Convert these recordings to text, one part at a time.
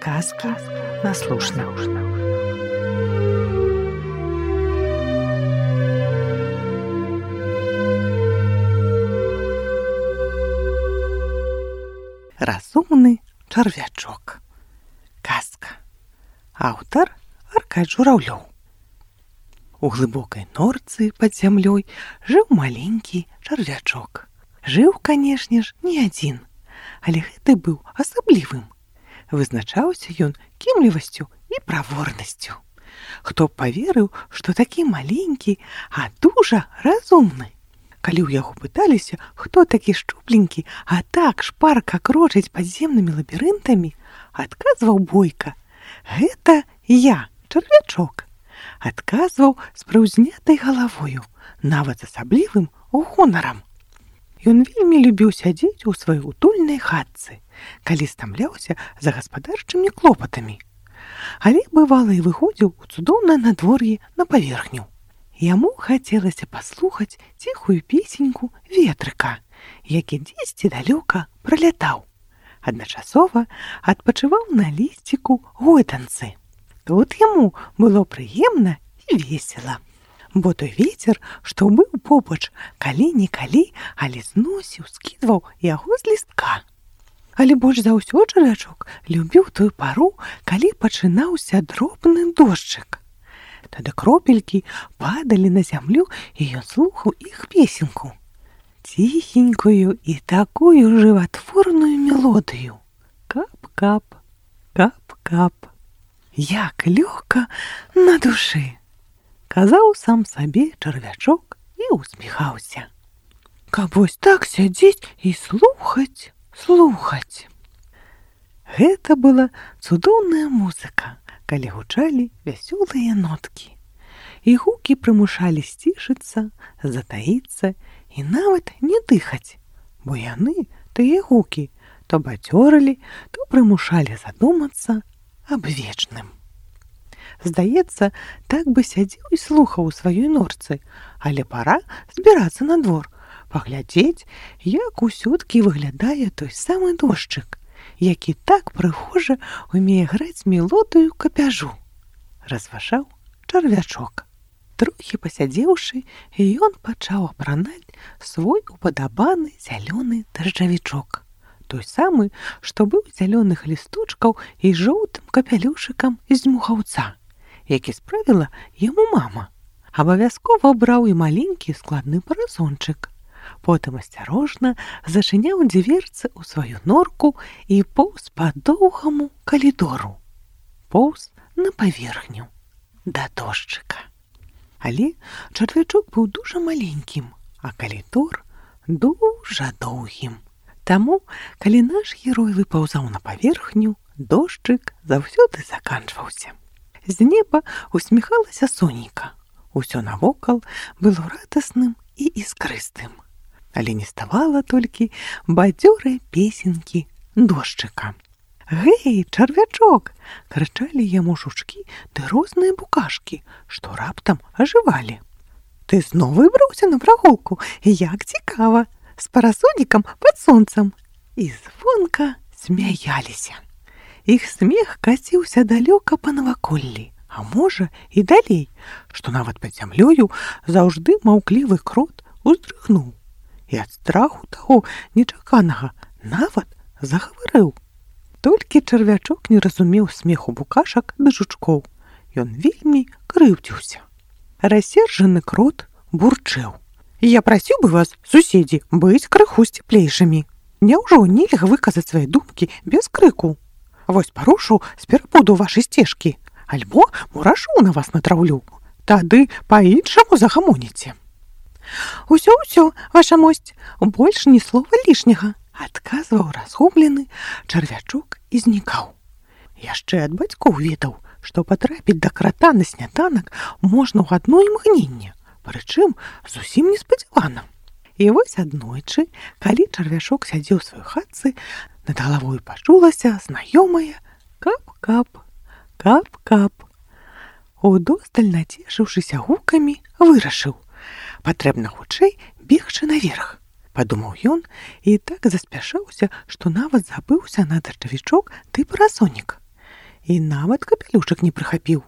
Казки на слушна. Разумны чарвячок. Казка. Аўтар Аркадь Журавлёў. У глыбокай норцы пад зямлёй жыў маленькі чарвячок. Жыў, канешне ж, не адзін, але гэты быў асаблівым. Вызначаўся ён кемлівасцю і праворнасцю. Хто б паверыў, што такі маленькі, а дужа разумны. Калі ў яго пыталіся, хто такі шчупленькі, а так шпарка крочыць падземнымі лабірынтамі, адказваў бойка: «Гэта я, чарвячок». Адказваў з прыўзнятай галавою, нават з асаблівым гонарам. Ён вельмі любіў сядзець у сваёй утульнай хатцы, калі стамляўся за гаспадарчымі клопатамі. Але бывала і выходзіў у цудоўнае надвор'е на паверхню. Яму хацелася паслухаць ціхую песеньку ветрыка, які дзесьці далёка пралятаў. Адначасова адпачываў на лісціку гойданцы. Тут яму было прыемна і весела. Бо той вецер, што быў побач, калі-нікалі, але зносіў, скідваў яго з лістка. Але больш за ўсё чарвячок любіў тую пару, калі пачынаўся дробны дождчык. Тады кропелькі падалі на зямлю, і ён слухаў іх песеньку. Ціхенькую і такую жыватворную мелодыю. Кап-кап, кап-кап. Як лёгка на душы! Казаў сам сабе чарвячок і усміхаўся. Каб вось так сядзець і слухаць. Гэта была цудоўная музыка, калі гучалі вясёлыя ноткі. І гукі прымушалі сцішыцца, затаіцца і нават не дыхаць, бо яны, тыя гукі, то бадзёрылі, то прымушалі задумацца аб вечным. Здаецца, так бы сядзеў і слухаў у сваёй норцы, але пара збірацца на двор, паглядзець, як усё-ткі выглядае той самы дождчык, які так прыгожа умее граць мелодыю капяжу. Разважаў чарвячок. Трохі пасядзеўшы, ён пачаў апранаць свой упадабаны зялёны дажджавічок. Той самы, што быў зялёных лісточкаў і жоўтым капялюшыкам з дмухаўца, які справіла яму мама. Абавязкова браў і маленькі складны парасончык. Потым асцярожна зачыняў дзверцы ў сваю норку і поўз па доўгаму калідору. Поўз на паверхню да дождчыка. Але чарвячок быў дужа маленькім, а калідор дужа доўгім. Таму, калі наш герой выпаўзаў на паверхню, дождчык заўсёды заканчваўся. З неба усміхалася сонейка. Усё навокал было радасным і іскрыстым. Але не ставала толькі бадзёрай песенькі дождчыка. «Гэй, чарвячок!» — крычалі яму жучкі ды розныя букашкі, што раптам ажывалі. «Ты зноў выбраўся на прагулку? Як цікава! З парасонікам пад сонцам!» І звонка смяяліся. Іх смех каціўся далёка па наваколлі, а можа і далей, што нават пад зямлёю заўжды маўклівы крот уздрыгнуў. І ад страху таго нечаканага нават загаварыў. Толькі чарвячок не разумеў смеху букашак ды жучкоў. Ён вельмі крыўдзіўся. Рассержаны крот бурчэў: «Я прасіў бы вас, суседзі, быць крыху сціплейшымі. Няўжо нельга выказаць свае думкі без крыку? Вось парушу з пераподу вашай сцежкі, альбо мурашу на вас натраўлю. Тады па-іншаму загамоніце». «Усё, ваша мосць, больш ні слова лішняга», — адказваў разгублены чарвячок і знікаў. Яшчэ ад бацькоў ведаў, што патрапіць да крата на сняданак можна ў адно імгненне, прычым зусім неспадзявана. І вось аднойчы, калі чарвячок сядзеў у сваёй хатцы, над галавой пачулася знаёмае кап-кап, кап-кап. Удосталь нацешыўшыся гукамі, вырашыў: патрэбна хутчэй бегчы наверх. Падумаў ён і так заспяшаўся, што нават забыўся на дажджавічок ды парасонік. і нават капелюшак не прыхапіў.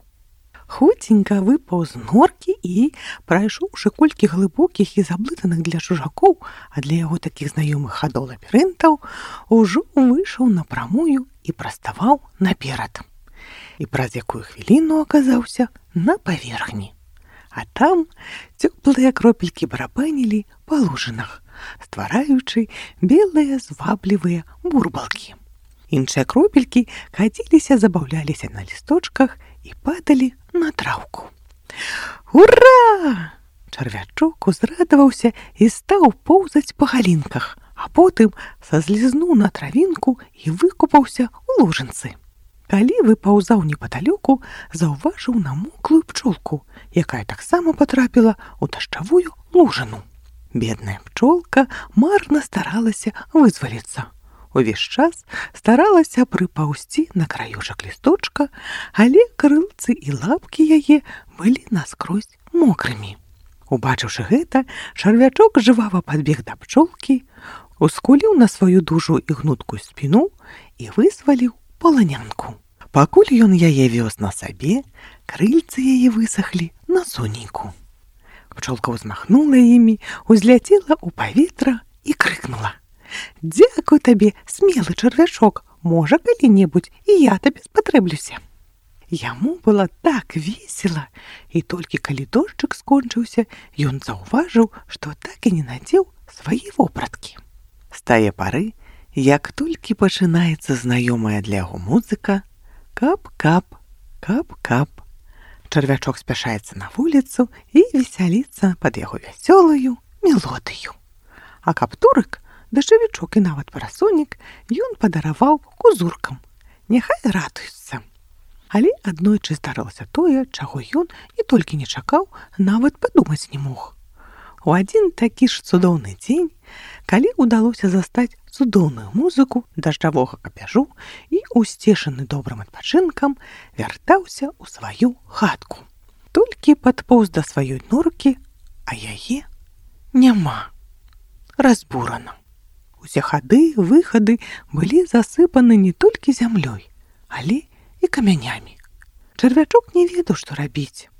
Хуценька выпаў з норкі і, прайшоўшы колькі глыбокіх і заблытаных для чужакоў, а для яго такіх знаёмых хадоў лабірынтаў, ужо выйшаў напрамую і праставаў наперад. І праз якую хвіліну аказаўся на паверхні. А там цёплыя кропелькі барабанілі па лужынах, ствараючы белыя зваблівыя бурбалкі. Іншыя кропелькі каціліся, забаўляліся на лісточках і падалі на траўку. Ура! Чарвячок узрадаваўся і стаў поўзаць па галінках, а потым сазлізнуў на травінку і выкупаўся ў лужынцы. Калі выпаўзаў непадалёку, заўважыў намоклую пчолку, якая таксама патрапіла ў дажджавую лужыну. Бедная пчолка марна старалася вызваліцца. Увесь час старалася прыпаўзці на краёчак лісточка, але крылцы і лапкі яе былі наскрозь мокрымі. Убачыўшы гэта, чарвячок жывава падбег да пчолкі, ускуліў на сваю дужу і гнуткую спіну і вызваліў паланянку. Пакуль ён яе вёз на сабе, крыльцы яе высахлі на сонейку. Пчолка ўзмахнула імі, узляцела ў паветра і крыкнула: «Дзякуй табе, смелы чарвячок, можа, калі-небудзь і я табе спатрэблюся». Яму было так весела, і толькі калі дожджык скончыўся, ён заўважыў, што так і не надзеў свае вопраткі. З тае пары, як толькі пачынаецца знаёмая для яго музыка, кап-кап, кап-кап, чарвячок спяшаецца на вуліцу і весяліцца пад яго вясёлую мелодыю. А каптурык, дажджавічок і нават парасонік ён падараваў кузуркам. Няхай радуюцца. Але аднойчы здарылася тое, чаго ён і толькі не чакаў, нават падумаць не мог. У адзін такі ж цудоўны дзень, калі ўдалося застаць цудоўную музыку дажджавога капяжу і, усцешаны добрым адпачынкам, вяртаўся ў сваю хатку. Толькі падпоўз да сваёй норкі, а яе няма. Разбурана. Усе хады, выхады былі засыпаны не толькі зямлёй, але і камянямі. Чарвячок не ведаў, што рабіць.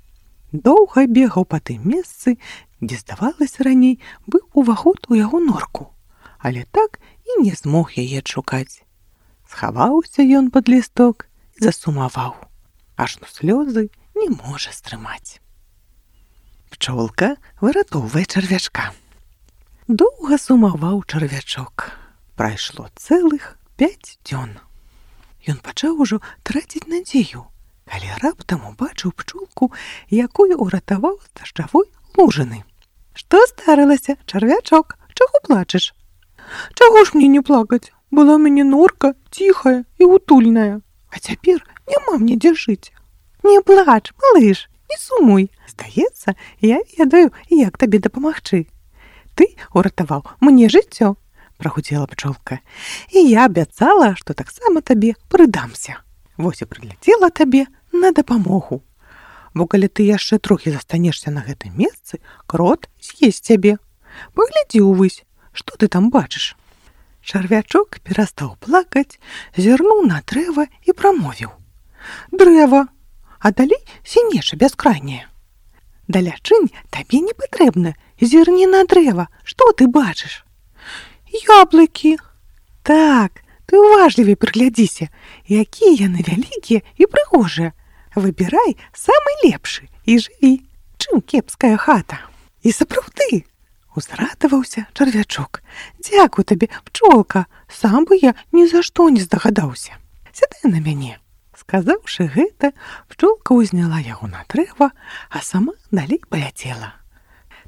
Доўга бегаў па тым месцы, дзе, здавалася, раней быў уваход у яго норку, але так і не змог яе адшукаць. Схаваўся ён пад лісток і засумаваў, ажно слёзы не можа стрымаць. Пчолка выратоўвае чарвячка. Доўга сумаваў чарвячок. Прайшло цэлых 5 дзён. Ён пачаў ужо траціць надзею, калі раптам убачыў пчолку, якую ўратаваў з дажджавой лужыны. «Што здарылася, чарвячок? Чаго плачаш?» «Чаго ж мне не плакаць? Была ў мяне норка ціхая і утульная, а цяпер няма мне дзе жыць». «Не плач, малыш, не сумуй. Здаецца, я ведаю, як табе дапамагчы. Ты ўратаваў мне жыццё», – прагудзела пчолка. «І я абяцала, што таксама табе прыдамся. Вось і прыляцела табе на дапамогу. Бо калі ты яшчэ трохі застанешся на гэтым месцы, крот з'есць цябе. Паглядзі ўвысь, што ты там бачыш». Чарвячок перастаў плакаць, зірнуў на дрэва і прамовіў: «Дрэва, а далей сінеша бяскрайняе». «Далячынь табе не патрэбна, зірні на дрэва, што ты бачыш?» «Яблыкі». «Так, ты уважлівей прыглядзіся, якія яны вялікія і прыгожыя. Выбірай самы лепшы і жыві, чым кепская хата». «І сапраўды», – узрадаваўся чарвячок. «Дзякуй табе, пчолка, сам бы я ні за што не здагадаўся. Сядай на мяне». Сказаўшы гэта, пчолка ўзняла яго на дрэва, а сама далей паляцела.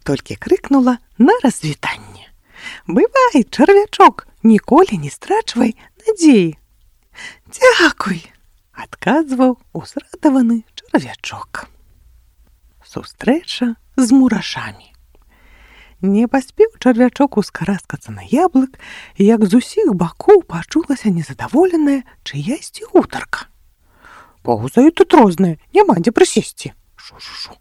Толькі крыкнула на развітанне: «Бывай, чарвячок, ніколі не страчвай надзеі». «Дзякуй», – адказваў узрадаваны чарвячок. Сустрэча з мурашамі. Не паспеў чарвячок ускараскацца на яблык, як з усіх бакоў пачулася незадаволеная чыясьці гутарка. «Паўзаюць тут розныя, няма дзе прысесці». Шу-шу-шу.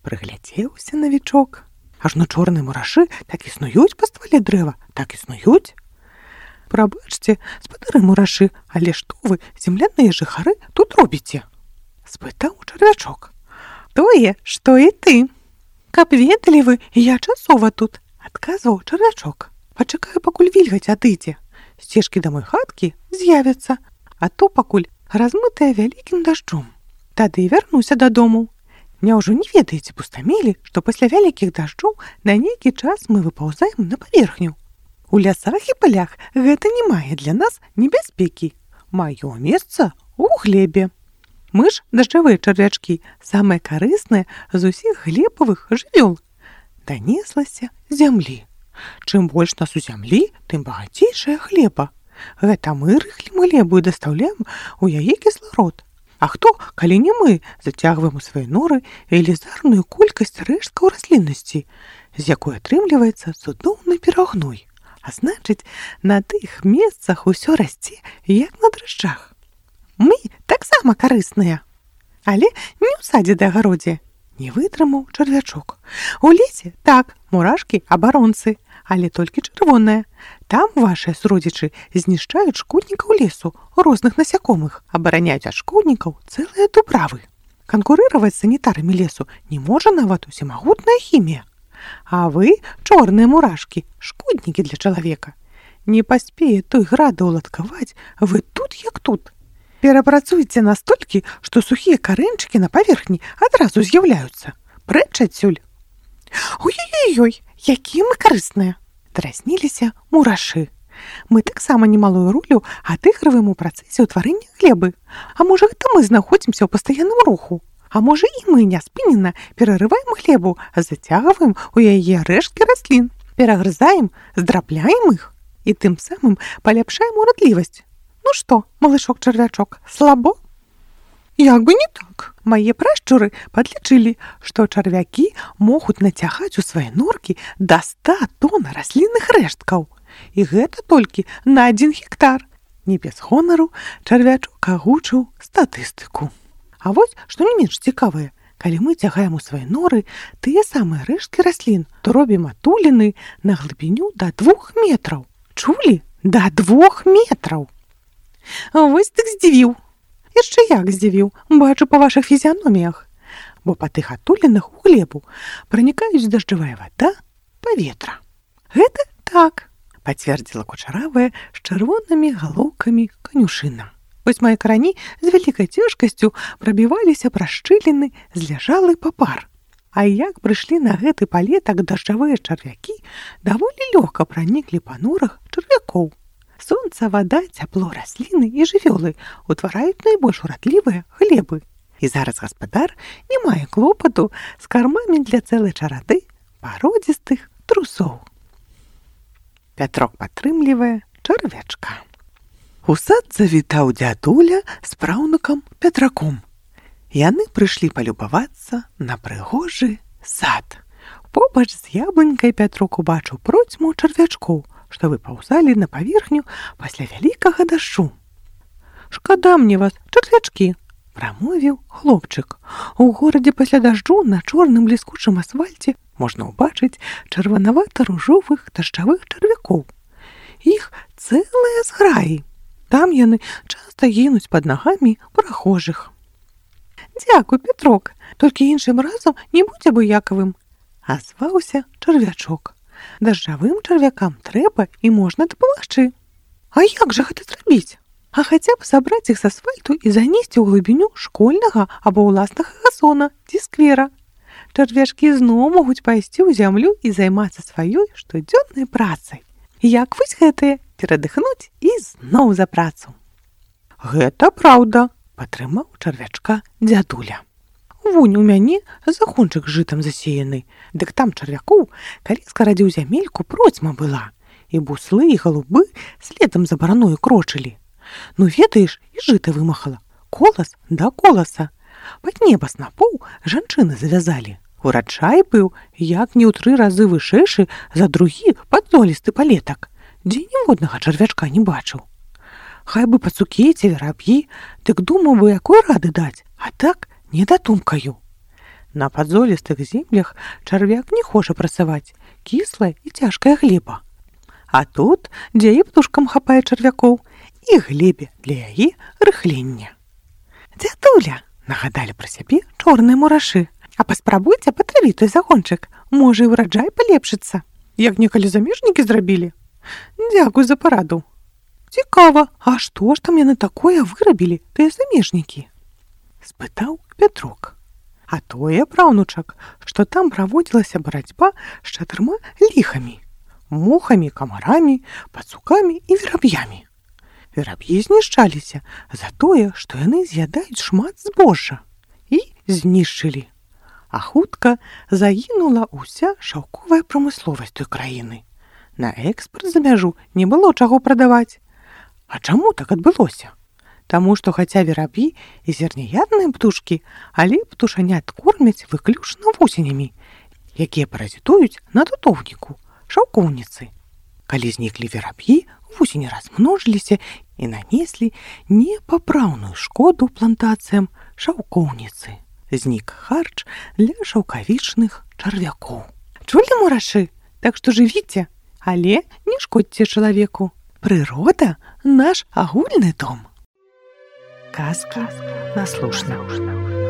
Прыглядзеўся навічок. Ажно чорныя мурашы так існуюць па ствале дрэва, так існуюць. Прабачце, спадары мурашы, але што вы, земляныя жыхары, тут робіце? Спытаў чарвячок. Тое, што і ты. Каб ведалі вы, я часова тут, адказваў чарвячок. Пачакаю, пакуль вільгаць адыдзе. Сцежкі да мой хаткі з'явяцца, а то пакуль размытая вялікім дажджом. Тады вярнуся дадому. Няўжо не ведаеце, пустамелі, што пасля вялікіх дажджоў на нейкі час мы выпаўзаем на паверхню. У лясах і палях гэта не мае для нас небяспекі. Маё месца у глебе. Мы ж, дажджавыя чарвячкі, самыя карысныя з усіх глебавых жывёл. Данеслася зямлі. Чым больш нас у зямлі, тым багацейшая глеба. Гэта мы рыхлім глебу і дастаўляем у яе кісларод. А хто, калі не мы, зацягваем у свае норы велізарную колькасць рэшткаў расліннасці, з якой атрымліваецца цудоўны перагной. А значыць, на тых месцах усё расце, як на дрыжджах. Мы таксама карысныя. Але не ў садзе ды агародзе. Не вытрымаў чарвячок. У лесе, так, мурашкі абаронцы, але толькі чырвоныя. Там вашыя суродзічы знішчаюць шкоднікаў лесу, розных насякомых, абараняюць ад шкоднікаў цэлыя дубравы. Канкурыраваць з санітарамі лесу не можа нават усемагутная хімія. А вы, чорныя мурашкі, шкоднікі для чалавека. Не паспее той града ўладкаваць, вы тут як тут. Перапрацуйце настолькі, што сухія карэнчыкі на паверхні адразу з'яўляюцца. Прэч адсюль. Ой-ой-ой, якія мы карысныя. Дразніліся мурашы. Мы таксама немалую ролю адыгрываем у працэсе ўтварэння глебы. А можа, гэта мы знаходзімся ў пастаянным руху? А можа, і мы няспынена перарываем глебу, зацягваем у яе рэшткі раслін, перагрызаем, здрабляем іх і тым самым паляпшаем урадлівасць. Ну што, малышок-чарвячок, слабо? Як бы не так. Мае прашчуры падлічылі, што чарвякі могуць нацягаць у свае норкі да 100 тонн раслінных рэшткаў. І гэта толькі на 1 гектар. Не без гонару чарвячок агучыў статыстыку. А вось, што не менш цікавае, калі мы цягаем у свае норы тыя самыя рэшткі раслін, то робім атуліны на глыбіню да 2 метраў. Чулі? Да 2 метраў! Вось так здзівіў. Яшчэ як здзівіў, бачу па вашых фізіяноміях. Бо па тых атулінах у глебу пранікаюць дажджавая вада, паветра. Гэта так, пацвердзіла кучаравая з чырвонымі галоўкамі канюшына. Вось мае карані з вялікай цяжкасцю прабіваліся праз шчыліны зляжалы папар. А як прыйшлі на гэты палетак дажджавыя чарвякі, даволі лёгка праніклі па норах чарвякоў. Сонца, вада, цяпло, расліны і жывёлы ўтвараюць найбольш урадлівыя глебы. І зараз гаспадар не мае клопату з кармамі для цэлай чарады пародзістых трусоў. Пятрок падтрымлівае чарвячка. У сад завітаў дзядуля з праўнукам Пятраком. Яны прыйшлі палюбавацца на прыгожы сад. Побач з яблынькай Пятрок убачыў процьму чарвячкоў, што выпаўзалі на паверхню пасля вялікага дажджу. «Шкада мне вас, чарвячкі!» – прамовіў хлопчык. У горадзе пасля дажджу на чорным бліскучым асфальце можна ўбачыць чырванавата-ружовых дажджавых чарвякоў. Іх цэлыя зграі. Там яны часта гінуць пад нагамі прахожых. «Дзякуй, Пятрок, толькі іншым разам не будзь абыякавым», – азваўся чарвячок. «Дажджавым чарвякам трэба і можна дапамагчы». «А як жа гэта зрабіць? А хаця б сабраць іх з асфальту і занесці ў глыбіню школьнага або ўласнага газона ці сквера. Чарвячкі зноў могуць пайсці ў зямлю і займацца сваёй штодзённай працай. Як вось гэтыя, перадыхнуць і зноў за працу». «Гэта праўда», – падтрымаў чарвячка дзядуля. «Вунь, у мяне загончык жытам засеяны, дык там чарвякоў, калі скарадзіў зямельку, процьма была, і буслы, і галубы следам за бараною крочылі. Ну, ведаеш, і жыта вымахала, колас да коласа. Пад неба снапоў жанчыны завязалі. Ураджай быў, як не ў 3 разы вышэйшы за другі падзолісты палетак, дзе ніводнага чарвячка не бачыў. Хай бы пацукеце, вераб'і, дык думаў бы, якой рады даць, а так не датумкаю. На падзолістых землях чарвяк не хоча працаваць, кіслая і цяжкая глеба. А тут, дзе і птушкам хапае чарвякоў, і глебе для яе рыхлення. «Дзядуля!» – нагадалі пра сябе чорныя мурашы. «А паспрабуйце патравіць той загончык, можа, і ўраджай палепшыцца, як некалі замежнікі зрабілі. Дзякуй за параду. Цікава, а што ж там яны такое вырабілі, тыя замежнікі?» – спытаў Пятрук. А тое, праўнучак, што там праводзілася барацьба з 4 ліхамі – мухамі, камарамі, пацукамі і вераб'ямі. Вераб'і знішчаліся за тое, што яны з'ядаюць шмат збожжа, і знішчылі. А хутка загінула ўся шаўковая прамысловасць той краіны. На экспарт за мяжу не было чаго прадаваць. А чаму так адбылося? Таму што хаця вераб'і і зерняядныя птушкі, але птушанят кормяць выключна вусенямі, якія паразітуюць на тутоўніку, шаўкоўніцы. Калі зніклі вераб'і, вусені размножиліся і нанеслі непапраўную шкоду плантацыям шаўкоўніцы. Знік харч для шаўкавічных чарвякоў. Чулі, мурашы? Так што жывіце, але не шкодзьце чалавеку. Прырода – наш агульны дом. Казка на слушна.